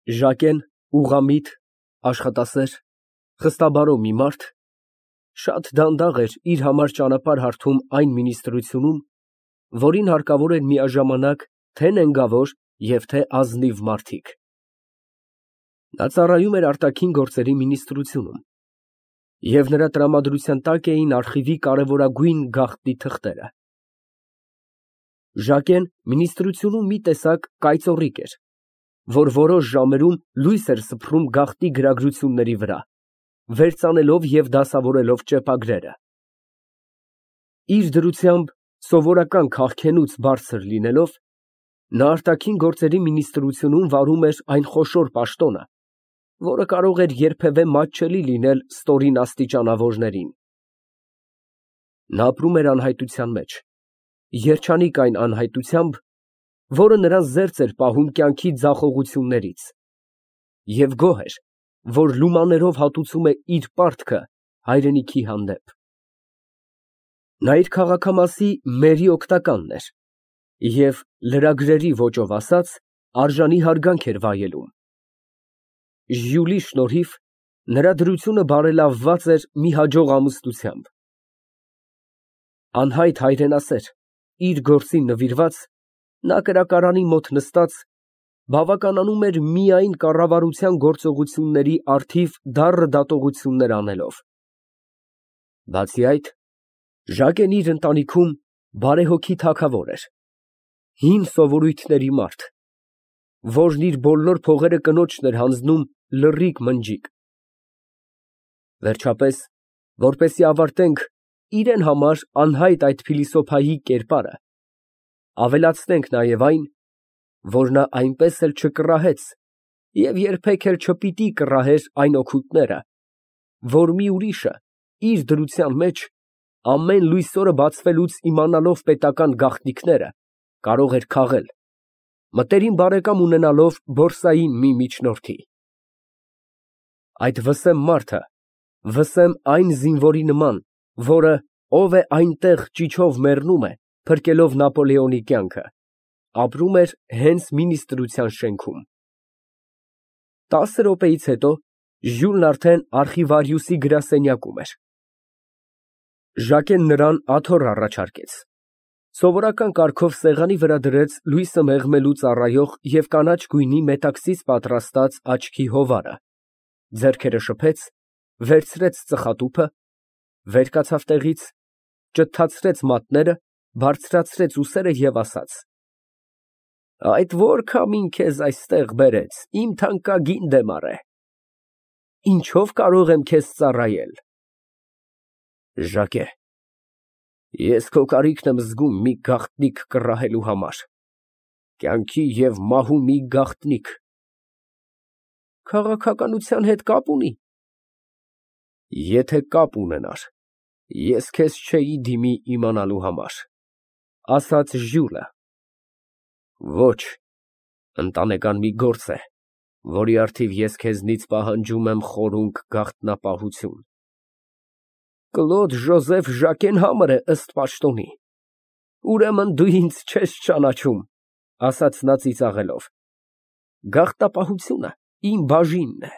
Ժակեն ուղղամիտ, աշխատասեր, խստաբարո մի մարդ, շատ դանդաղ էր իր համար ճանապարհ հարթում այն մինիստրությունում, որին հարկավոր էր միաժամանակ թե նենգավոր և թե ազնիվ մարդիկ։ Նա ծառայում էր արտաքին գործերի մինիստրությունում, և նրա տրամադրության տակ էին արխիվի կարևորագույն գաղտնի թղթերը։ Ժակեն մինիստրությունում մի տեսակ կայծոռիկ էր, որ որոշ ժամերում լույս էր սփռում գաղտնի գրագրությունների վրա, վերծանելով և դասավորելով ճեպագրերը։ Իր դրությամբ սովորական քաղքենուց բարձր լինելով, նա արտաքին գործերի մինիստրությունում վարում էր այն խոշոր պաշտոնը, որը կարող էր երբևէ մատչելի լինել ստորին աստիճանավորներին։ Նա ապրում էր անհայտության մեջ, երջանիկ այն անհայտությամբ, որը նրան զերծ էր պահում կյանքի ձախողություններից, և գոհ էր, որ լումաներով հատուցում է իր պարտքը հայրենիքի հանդեպ։ Նա իր քաղաքամասի մերի օգնականն էր և, լրագրերի ոճով ասած, արժանի հարգանք էր վայելում։ Ժյուլի շնորհիվ նրա դրությունը բարելավված էր մի հաջող ամուսնությամբ։ Անհայտ հայրենասեր, իր գործին նվիրված, նա կրակարանի մոտ նստած, բավականանում էր միայն կառավարության գործողությունների առթիվ դառը դատողություններ անելով։ Բացի այդ, Ժակեն իր ընտանիքում բարեհոգի թագավոր էր, հին սովորույթների մարդ, որն իր բոլոր փողերը կնոջն էր հանձնում լռիկ մնջիկ։ Վերջապես, որպեսզի ավարտենք իրեն համար անհայտ այդ փիլիսոփայի կերպարը, ավելացնենք նաև այն, որ նա այնպես էլ չկռահեց և երբեք էլ չպիտի կռահեր այն օգուտները, որ մի ուրիշը իր դրության մեջ, ամեն լույսօրը բացվելուց իմանալով պետական գաղտնիքները, կարող էր քաղել, մտերիմ բարեկամ ունենալով բորսային մի միջնորդի։ Այդ վսեմ մարդը, վսեմ այն զինվորի նման, որը, ով է այնտեղ ճիչով մեռնում է, փրկելով Նապոլեոնի կյանքը, ապրում էր հենց մինիստրության շենքում։ 10 րոպեից հետո Ժյուլն արդեն արխիվարիուսի գրասենյակում էր։ Ժակեն նրան աթոռ առաջարկեց, սովորական կարգով սեղանի վրա դրեց լույսը մեղմելու ծառայող և կանաչ գույնի մետաքսից պատրաստած աչքի հովարը, ձեռքերը շփեց, վերցրեց ծխատուփը, վեր կացավ տեղից, ճթացրեց մատները, բարձրացրեց ուսերը և ասաց. «Այդ ո՞ր քամին քեզ այստեղ բերեց, իմ թանկագին դեմարե, ինչո՞վ կարող եմ քեզ ծառայել»։ Ժակե, ես քո կարիքն եմ զգում մի գաղտնիք կռահելու համար, կյանքի և մահու մի գաղտնիք։ Քաղաքականության հետ կապ ունի՞։ Եթե կապ ունենար, ես քեզ չէի դիմի իմանալու համար, ասաց Ժյուլը։ Ոչ, ընտանեկան մի գործ է, որի առթիվ ես քեզնից պահանջում եմ խորունկ գաղտնապահություն։ Կլոդ Ժոզեֆ Ժակեն Համր է, ըստ պաշտոնի։ Ուրեմն դու ինձ չես ճանաչում, ասաց նա ծիծաղելով։ Գաղտնապահությունը իմ բաժինն է։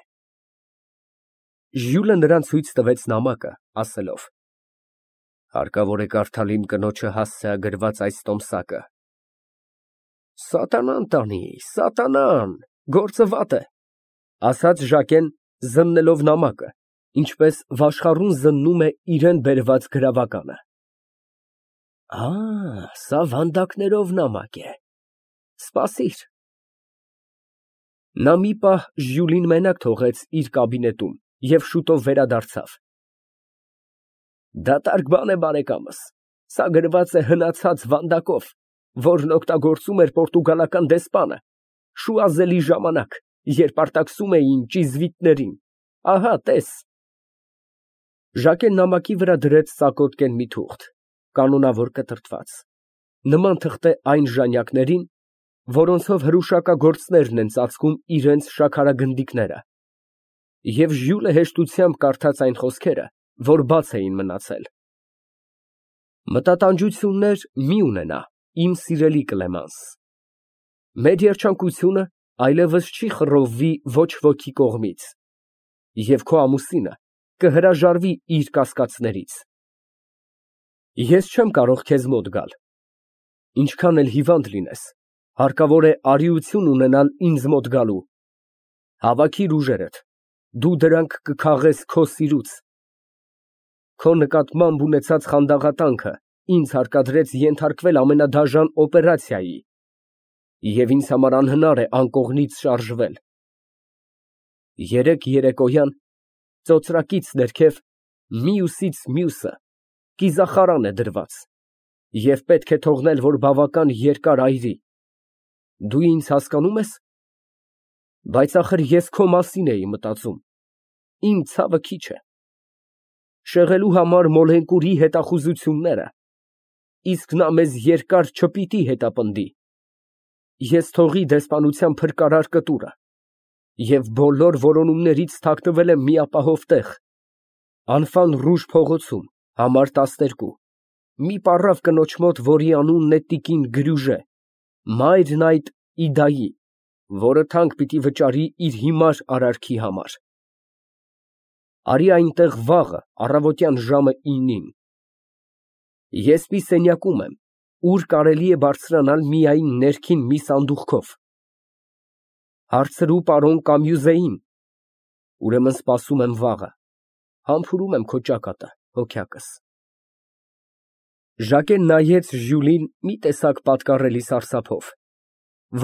Ժյուլը նրան ցույց տվեց նամակը, ասելով. Հարկավոր է կարդալ իմ կնոջը հասցեագրված այս տոմսակը։ Սատանան տանի, սատանան, գործը վատ է, ասաց Ժակեն, զննելով նամակը, ինչպես վաշխառուն զննում է իրան բերված գրավականը։ Սա վանդակներով նամակ է, սպասիր։ Նա մի պահ Ժյուլին մենակ թողեց իր կաբինետում և շուտով վերադարձավ։ Դատարկ բան է, բարեկամս, սա գրված է հնացած վանդակով, որն օգտագործում էր պորտուգալական դեսպանը շուազելի ժամանակ, երբ արտաքսում էին ճիզվիտներին, ահա տես։ Ժակեն նամակի վրա դրեց ծակոտկեն մի թուղթ, կանոնավոր կտրտված, նման թղթե այն ժանյակներին, որոնցով հրուշակագործներն են ծածկում իրենց շաքարագնդիկները, և Ժյուլը հեշտությամբ կարդաց այն խոսքերը, որ բաց էին մնացել. Մտատանջություններ մի ունենա, իմ սիրելի Կլեմանս, մեր երջանկությունը այլևս չի խռովվի ոչ ոքի կողմից, և քո ամուսինը կհրաժարվի իր կասկածներից։ Ես չեմ կարող քեզ մոտ գալ, ինչքան էլ հիվանդ լինես, հարկավոր է արիություն ունենալ ինձ մոտ գալու։ Հավաքիր ուժերդ, դու դրանք կքաղես քո սիրուց։ Քո նկատմամբ ունեցած խանդաղատանքը ինձ հարկադրեց ենթարկվել ամենադաժան օպերացիայի, և ինձ համար անհնար է անկողնից շարժվել։ Երեկ երեկոյան ծոծրակից ներքև մյուսից մյուսը կիզախարան է դրված, և պետք է թողնել, որ բավական երկար այրի։ Դու ինձ հասկանո՞ւմ ես։ Բայց ախր ես քո մասին էի մտածում, իմ ցավը քիչ է։ Շեղելու համար մոլենկուրի հետախուզությունները, իսկ նա մեզ երկար չպիտի հետապնդի։ Ես թողի դեսպանության փրկարար կտուրը և բոլոր որոնումներից թաքնվել եմ մի ապահով տեղ, Անֆան Ռուժ փողոցում, համար 12, մի պառավ կնոջ մոտ, որի անունն է տիկին Գրյուժե, մայրն այդ Իդայի, որը թանկ պիտի վճարի իր հիմար արարքի համար։ Արի այնտեղ վաղը, առավոտյան ժամը 9-ին։ Ես մի սենյակում եմ, ուր կարելի է բարձրանալ միայն ներքին մի սանդուղքով։ Հարցրու պարոն Կամյուզեին, ուրեմն սպասում եմ վաղը, համբուրում եմ քո ճակատը, հոգյակս։ Ժակեն նայեց Ժյուլին մի տեսակ պատկառելի սարսափով,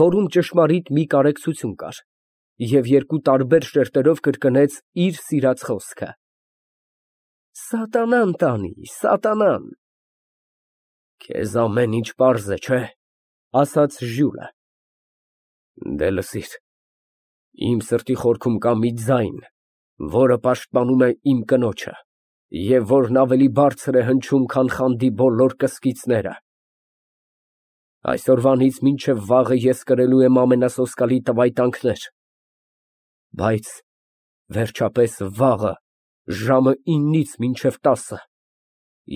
որում ճշմարիտ մի կարեկցություն կար, և երկու տարբեր շերտերով կրկնեց իր սիրած խոսքը. Սատանան տանի, սատանան։ Քեզ ամեն ինչ պարզ է, չէ՞, ասաց Ժյուլը։ Դե լսիր, իմ սրտի խորքում կա մի ձայն, որը պաշտպանում է իմ կնոջը, և որն ավելի բարձր է հնչում, քան խանդի բոլոր կսկիծները։ Այսօրվանից մինչև վաղը ես կրելու եմ ամենասոսկալի տվայտանքներ, բայց վերջապես վաղը ժամը 9-ից մինչև 10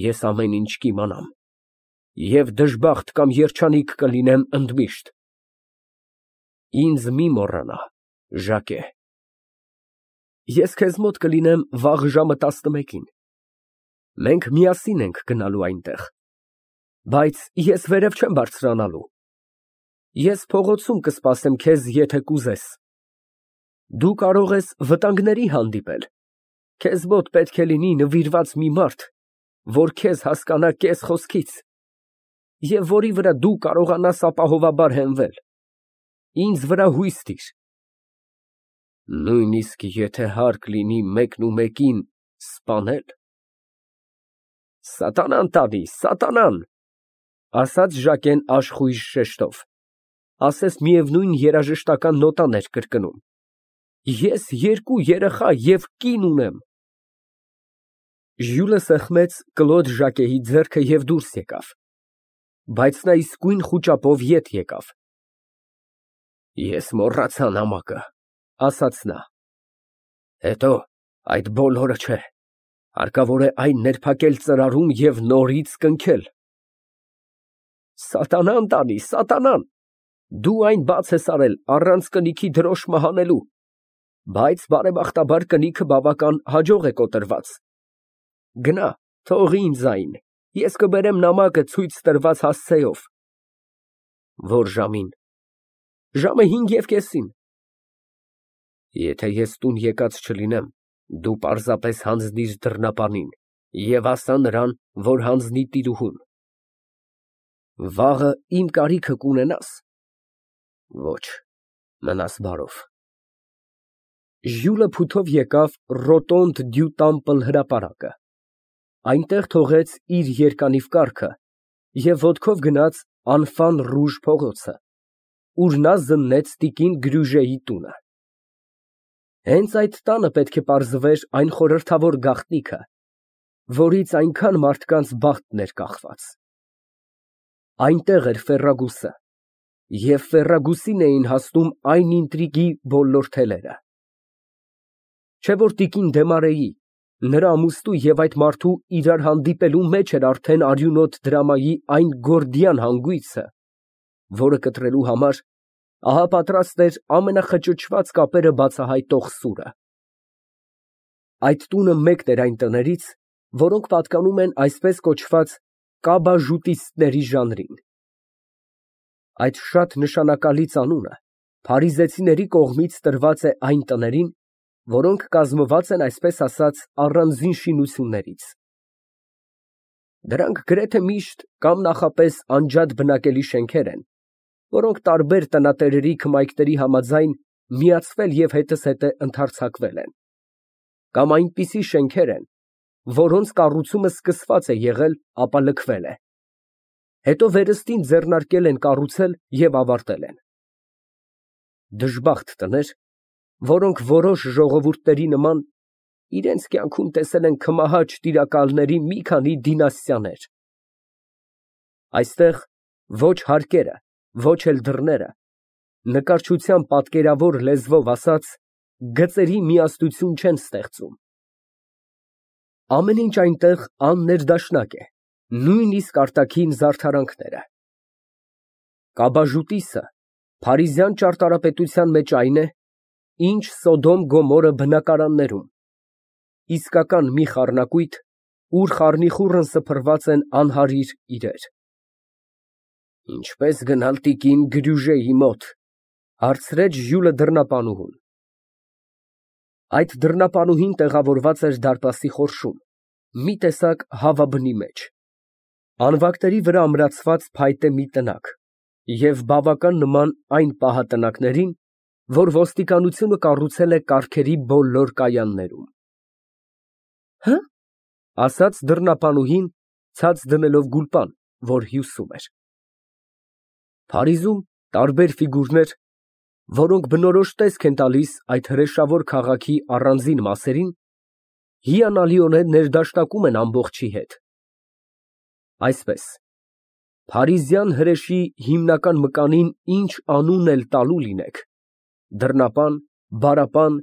ես ամեն ինչ կիմանամ և դժբախտ կամ երջանիկ կլինեմ ընդմիշտ։ Ինձ մի մոռանա, Ժակե։ Ես քեզ մոտ կլինեմ վաղ ժամը 11-ին։ Մենք միասին ենք գնալու այնտեղ, բայց ես վերև չեմ բարձրանալու։ Ես փողոցում կսպասեմ քեզ, եթե կուզես։ Դու կարող ես վտանգների հանդիպել, քեզ մոտ պետք է լինի նվիրված մի մարդ, որ քեզ հասկանա կես խոսքից, և որի վրա դու կարողանաս ապահովաբար հենվել։ Ինձ վրա հույս տիր։ Նույնիսկ եթե հարկ լինի մեկնումեկին սպանել։ Սատանան տանի, սատանան, ասաց Ժակեն աշխույժ շեշտով, ասես միևնույն երաժշտական նոտան էր կրկնում։ Ես 2 երեխա և կին ունեմ։ Ժյուլը սեղմեց կլոտ Ժակեի ձեռքը և դուրս եկավ, բայց նա իսկույն խուճապով ետ եկավ։ Ես մոռացա նամակը, ասաց նա։ Հետո այդ բոլորը չէ, հարկավոր է այն ներփակել ծրարում և նորից կնքել։ Սատանան տանի, սատանան, դու այն բաց ես արել առանց կնիքի դրոշմը հանելու, բայց բարեբախտաբար կնիքը բավական հաջող է կոտրված։ Գնա, թող ինձ այն, ես կբերեմ նամակը ցույց տրված հասցեով։ Որ ժամին։ Ժամը 5:30։ Եթե ես տուն եկած չլինեմ, դու պարզապես հանձնիր դռնապանին և ասա նրան, որ հանձնի տիրուհուն։ Վաղը իմ կարիքը կունենաս։ Ոչ, մնաս բարով։ Ժյուլը փութով եկավ Ռոտոնդ դյու Տամպլ հրապարակը, այնտեղ թողեց իր երկանիվ կառքը և ոտքով գնաց Անֆան Ռուժ փողոցը, ուր նա զննեց տիկին Գրյուժեի տունը։ Հենց այդ տանը պետք է պարզվեր այն խորհրդավոր գաղտնիքը, որից այնքան մարդկանց բախտն էր կախված։ Այնտեղ էր Ֆերրագուսը, և Ֆերրագուսին էին հասնում այն ինտրիգի բոլոր թելերը։ Չէ՞ որ տիկին Դեմարեի, նրա ամուսնու և այդ մարդու իրար հանդիպելու մեջ էր արդեն արյունոտ դրամայի այն գորդիան հանգույցը, որը կտրելու համար Ահա պատրաստ էր ամենախճճված կապերը բացահայտող սուրը։ Այդ տունը մեկն էր այն տներից, որոնք պատկանում են այսպես կոչված կաբաժուտիստների ժանրին։ Այդ շատ նշանակալից անունը փարիզեցիների կողմից տրված է այն տներին, որոնք կազմված են այսպես ասած առանձին շինություններից։ Դրանք գրեթե միշտ կամ նախապես անջատ բնակելի շենքեր են, որոնք տարբեր տնատերերի քմայքների համաձայն միացվել և հետզհետե ընդարձակվել են, կամ այնպիսի շենքեր են, որոնց կառուցումը սկսված է եղել, ապա լքվել է, հետո վերստին ձեռնարկել են կառուցել և ավարտել են։ Դժբախտ տներ, որոնք որոշ ժողովուրդների նման իրենց կյանքում տեսել են քմահաճ տիրակալների մի քանի դինաստիաներ։ Այստեղ ոչ հարկերը, ոչ էլ դռները, նկարչության պատկերավոր լեզվով ասած, գծերի միասնություն չեն ստեղծում։ Ամեն ինչ այնտեղ աններդաշնակ է, նույնիսկ արտաքին զարդարանքները։ Կաբաժուտիսը փարիզյան ճարտարապետության մեջ այն է, ինչ Սոդոմ Գոմորը բնակարաններում, իսկական մի խառնակույտ, ուր խառնիխուռն սփռված են անհարիր իրեր։ Ինչպե՞ս գնալ տիկին Գրյուժեի մոտ, հարցրեց Ժյուլը դռնապանուհուն։ Այդ դռնապանուհին տեղավորված էր դարպասի խորշում, մի տեսակ հավաբնի մեջ, անվակների վրա ամրացված փայտե մի տնակ և բավական նման այն պահատնակներին, որ ոստիկանությունը կառուցել է կառքերի բոլոր կայաններում։ Հը՞, ասաց դռնապանուհին, ցած դնելով գուլպան, որ հյուսում էր։ Փարիզում տարբեր ֆիգուրներ, որոնք բնորոշ տեսք են տալիս այդ հրեշավոր քաղաքի առանձին մասերին, հիանալիորեն ներդաշնակում են ամբողջի հետ։ Այսպես, փարիզյան հրեշի հիմնական մկանին ինչ անուն էլ տալու լինեք, դռնապան, բարապան,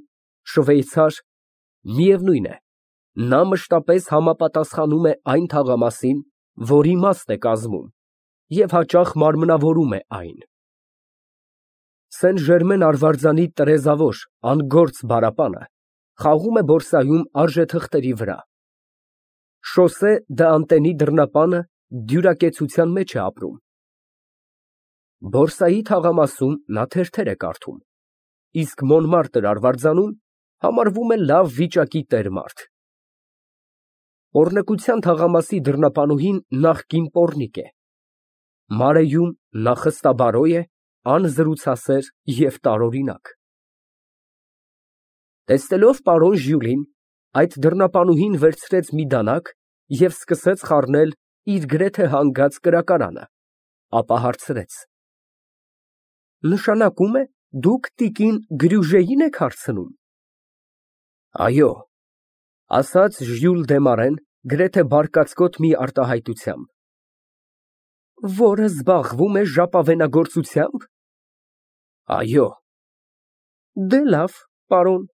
շվեյցար, միևնույն է, նա մշտապես համապատասխանում է այն թաղամասին, որ իմաստ է կազմում, և հաճախ մարմնավորում է այն։ Սեն Ժերմեն արվարձանի տրեզավոր, անգործ բարապանը խաղում է բորսայում արժեթղթերի վրա։ Շոսե դ'Անտենի դռնապանը դյուրակեցության մեջ է ապրում։ Բորսայի թաղամասում նա թերթեր է կարդում, իսկ Մոնմարտր արվարձանում համարվում է լավ վիճակի տեր֊մարդ։ Պոռնկության թաղամասի դռնապանուհին նախկին պոռնիկ է։ Մարեյում նա խստաբարոյ է, անզրուցասեր և տարօրինակ։ Տեսնելով պարոն Ժյուլին, այդ դռնապանուհին վերցրեց մի դանակ և սկսեց խառնել իր գրեթե հանգած կրակարանը, ապա հարցրեց. Նշանակում է, դուք տիկին Գրյուժեին եք հարցնում։ Այո, ասաց Ժյուլ Դեմարեն գրեթե բարկացկոտ մի արտահայտությամբ։ Որը զբաղվում է ժապավենագործությամբ։ Այո։ Դե լավ, պարոն,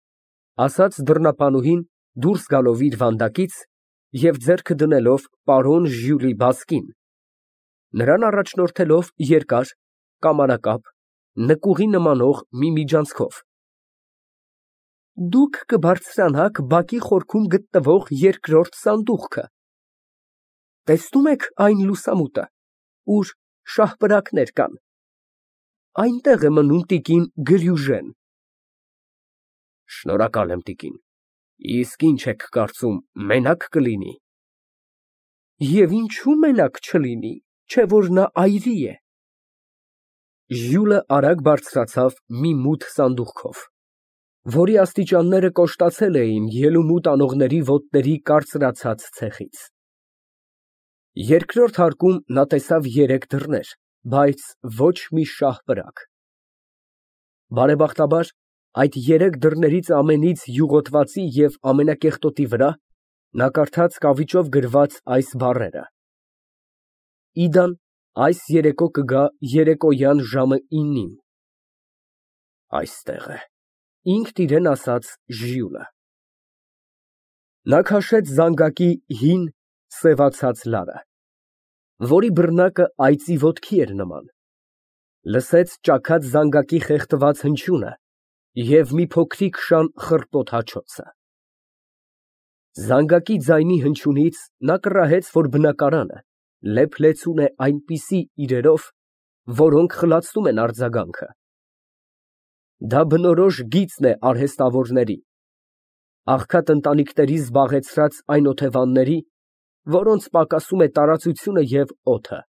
ասաց դռնապանուհին, դուրս գալով իր վանդակից և ձեռքը դնելով պարոն Ժյուլի բազկին, նրան առաջնորդելով երկար, կամարակապ, նկուղի նմանող մի միջանցքով։ Դուք կբարձրանաք բակի խորքում գտնվող երկրորդ սանդուղքը։ Տեսնում եք այն լուսամուտը, ուր շահպրակներ կան։ Այնտեղ է մնում տիկին Գրյուժեն։ Շնորհակալ եմ, տիկին, իսկ ինչ եք կարծում, մենակ կլինի։ Եվ ինչու մենակ չլինի, չէ որ նա այրի է։ Ժյուլը արագ բարձրացավ մի մութ սանդուղքով, որի աստիճանները կոշտացել էին ելումուտ անողների ոտների կարծրացած ցեխից։ Երկրորդ հարկում նա տեսավ երեք դռներ, բայց ոչ մի շահպրակ։ Բարեբախտաբար, այդ երեք դռներից ամենից յուղոտվածի և ամենակեղտոտի վրա նա կարդաց կավիճով գրված այս բառերը. Իդան այս երեկո կգա երեկոյան ժամը 9-ին։ Այստեղ է, ինքն իրեն ասաց Ժյուլը։ Նա քաշեց զանգակի հին, սևացած լարը, որի բռնակը այծի ոտքի էր նման, Լսեց ճաքած զանգակի խեղդված հնչյունը և մի փոքրիկ շան խռպոտ հաչոցը։ Զանգակի ձայնի հնչյունից նա կռահեց, որ բնակարանը լեփ֊լեցուն է այնպիսի իրերով, որոնք խլացնում են արձագանքը։ Դա բնորոշ գիծն է արհեստավորների, աղքատ ընտանիքների զբաղեցրած այն օթևանների, որոնց պակասում է տարածությունը և օդը։